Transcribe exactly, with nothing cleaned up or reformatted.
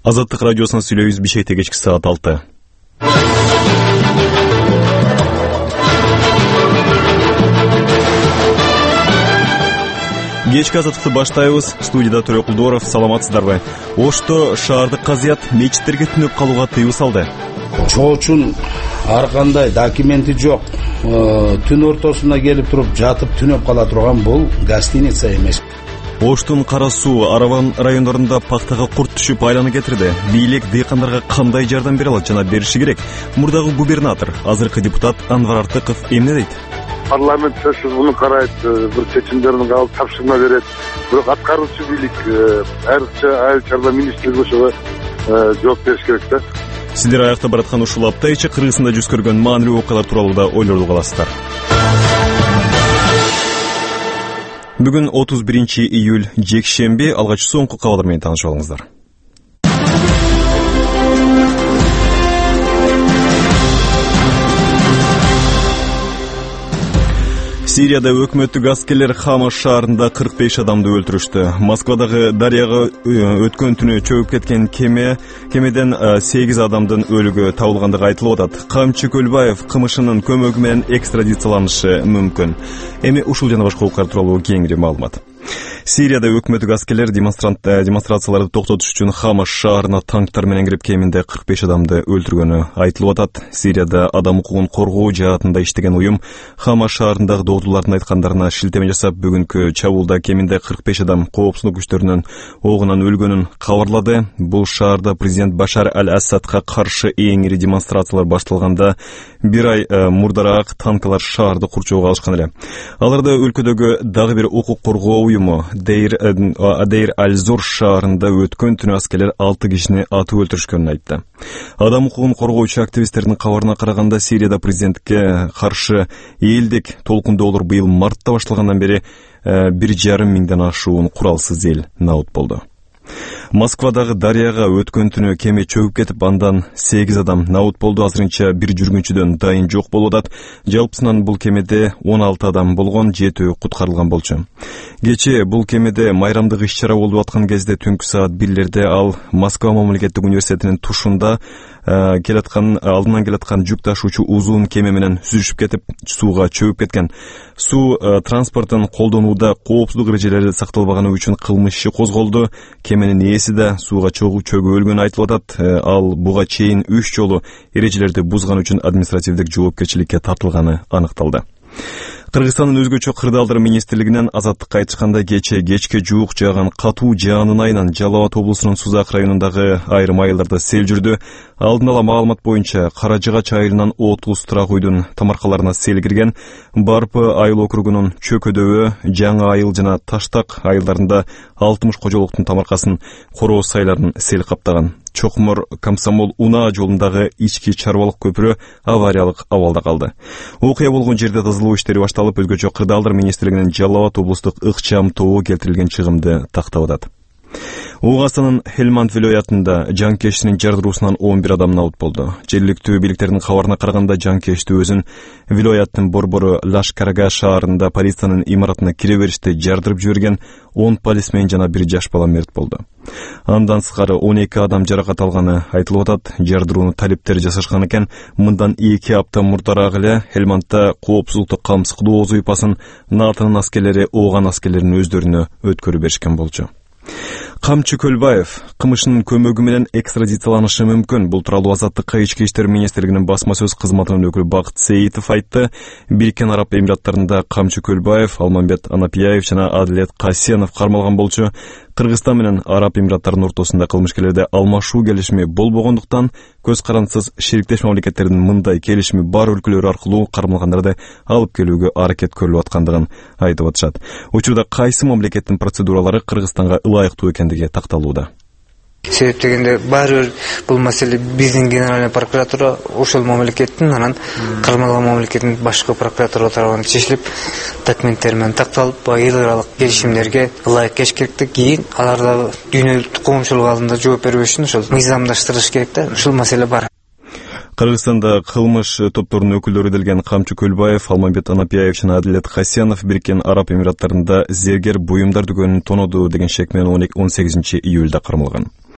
Азаттык радиосунан сүйлөйбүз. Бишкекте кечки саат алты. Кечки азаттыкты баштайбыз. Студияда Төрө Кулдоров. Саламатсыздарбы? Ошто шаардык казыят мечиттерге түнөп калууга тыюу салды. Чоочун ар кандай документи жок, түн ортосунда келип туруп жатып түнөп кала турган бул гостиница эмес. Оштун Кара суу, Араван райондорунда пактага курт түшүп айланы кетирди. Бийлик дыйкандарга кандай жардам бере алат жана бериши керек? Мурдагы губернатор, азыркы депутат Анвар Артыков эмне дейт? Парламент сөзсүз муну карайт, бир чечимдерин кабыл тапшырма берет. Бирок аткаруучу бийлик, айрыкча айыл чарба министрлиги ошого жооп бериш керек да. Сиздер аякта бараткан ушул апта ичи Кыргызстанда жүз көргөн маанилүү окуялар тууралуу да ойлорду каласыздар. Бүгүн отуз биринчи июль жекшемби, алгач соңку кабарлар менен таанышып алыңыздар. Сирияда өкмөттүк аскерлер Хама шаарында кырк беш адамды өлтүрүштү. Москвадагы дарыяга өткөн түнү чөгүп кеткен кеме кемеден сегиз адамдын өлүгү табылгандыгы айтылып атат. Камчы Көлбаев кылмышынын көмөгү менен экстрадицияланышы мүмкүн. Эми ушул жана башка окуялар тууралуу кеңири маалымат. Сирияда өкмөттүк аскерлер демонстрацияларды токтотуш үчүн Хама шаарына танктар менен кирип кеминде кырк беш адамды өлтүргөнү айтылып атат. Сирияда адам укугун коргоо жаатында иштеген уюм Хама шаарындагы догдулардын айткандарына шилтеме жасап, бүгүнкү чабуулда кеминде кырк беш адам коопсуздук күчтөрүнүн огунан өлгөнүн кабарлады. Бул шаарда президент Башар аль-Асадка каршы эң ири демонстрациялар башталганда бир ай мурдараак танкалар шаарды курчоого алышкан эле. Аларда өлкөдөгү дагы бир укук коргоо уюму Дейр Адейр аль-Зур шаарында өткөн түнү аскерлер алты кишини атып өлтүрүшкөнүн айтты. Адам укугун коргоочу активисттердин кабарына караганда, Сирияда президентке каршы элдик толкундоолор быйыл мартта башталгандан бери бир жарым миңден ашуун куралсыз эл набыт болду. Москвадагы дарыяга өткөн түнү кеме чөгүп кетип, андан сегиз адам набыт болду. Азырынча бир жүргүнчүдөн дайын жок болуп атат. Жалпысынан бул кемеде он алты адам болгон, жетөө куткарылган болчу. Кечээ бул кемеде майрамдык иш-чара болуп аткан кезде түнкү саат бирлерде ал Москва мамлекеттик университетинин тушунда келаткан алдынан келаткан жүк ташуучу узун кеме менен сүзүшүп кетип, сууга чөгүп кеткен. Суу транспортун колдонууда коопсуздук эрежелери сакталбаганы үчүн кылмыш иши козголду. Кеменин ээси да сууга чөгүп өлгөнү айтылып атат. Ал буга чейин үч жолу эрежелерди бузган үчүн административдик жоопкерчиликке тартылганы аныкталды. Кыргызстандын өзгөчө кырдаалдар министрлигинен азаттыкка айтышканда, кечээ кечке жуук жааган катуу жаанын айынан Жалал Абад облусунун Сузак районундагы айрым айылдарда сел жүрдү. Алдын ала маалымат боюнча Каражыгач айылынан отуз турак үйдүн тамаркаларына сел кирген. Барпы айыл округунун Чөкөдөбө, Жаңы айыл жана Таштак айылдарында алтымыш кожолуктун тамаркасын корооз сайларын сел каптаган. Чокмор Комсомол Унаа жолундагы ички чарбалык көпүрө авариялык абалда калды. Окуя болгон жерде тазалоо иштери башталып, өзгөчө кырдаалдар министрлигинин Жалал Абад облустук ыкчам тобу келтирилген чыгымды тактап атат. Оогастанын Хелманд вилоятында жанкештин жардыруусунан он бир адам набыт болду. Жергиликтүү бийликтердин кабарына караганда, жанкешти өзүн вилояттын борбору Лашкарага шаарында полициянын имаратына кире бериште жардырып жиберген он полисмен жана бир жаш бала мерт болду. Андан сырткары он эки адам жаракат алганы айтылып атат. Жардырууну талиптер жасашкан экен. Мындан эки апта мурдараак эле Хелмандда коопсуздукту камсыздоо уйпасын НАТОнун аскерлери ооган аскерлеринин өздөрүнө өткөрүп беришкен болчу. Камчы Көлбаев кылмышынын көмөгү менен экстрадицияланышы мүмкүн. Бул тууралуу Азаттыкка ички иштер министрлигинин басма сөз кызматынын өкүлү Бакыт Сейитов айтты. Бириккен Араб Эмираттарында Камчы Көлбаев, Алмамбет Анапияев жана Адилет Касенов кармалган болчу. Кыргызстан менен Араб Эмираттарынын ортосунда кылмышкерлерде алмашуу келишими болбогондуктан, көз карандысыз шериктеш мамлекеттердин мындай келишими бар өлкөлөр аркылуу кармалгандарды алып келүүгө аракет көрүлүп аткандыгын айтып атышат. Учурда кайсы мамлекеттин процедуралары Кыргызстанга ылайыктуу экендиги такталууда. Себеп дегенде баары бир бул маселе биздин генеральный прокуратура ошол мамлекеттин, анан кармалган мамлекеттин башкы прокуратура тарабынан чечилип, документтер менен такталып, эл аралык келишимдерге ылайык келиш керек. Кийин аларда дүйнөлүк коомчулук алдында жооп берүү үчүн ошол мыйзамдаштырыш керек да. Ушул маселе бар. Кыргызстанда кылмыш топторунун өкүлдөрү делген Камчы Көлбаев, Алмамбет Анапияев жана Адилет Касенов Бириккен Араб Эмираттарында зергер буюмдар дүкөнүн тоноду деген шек менен он сегизинчи июлда кармалган.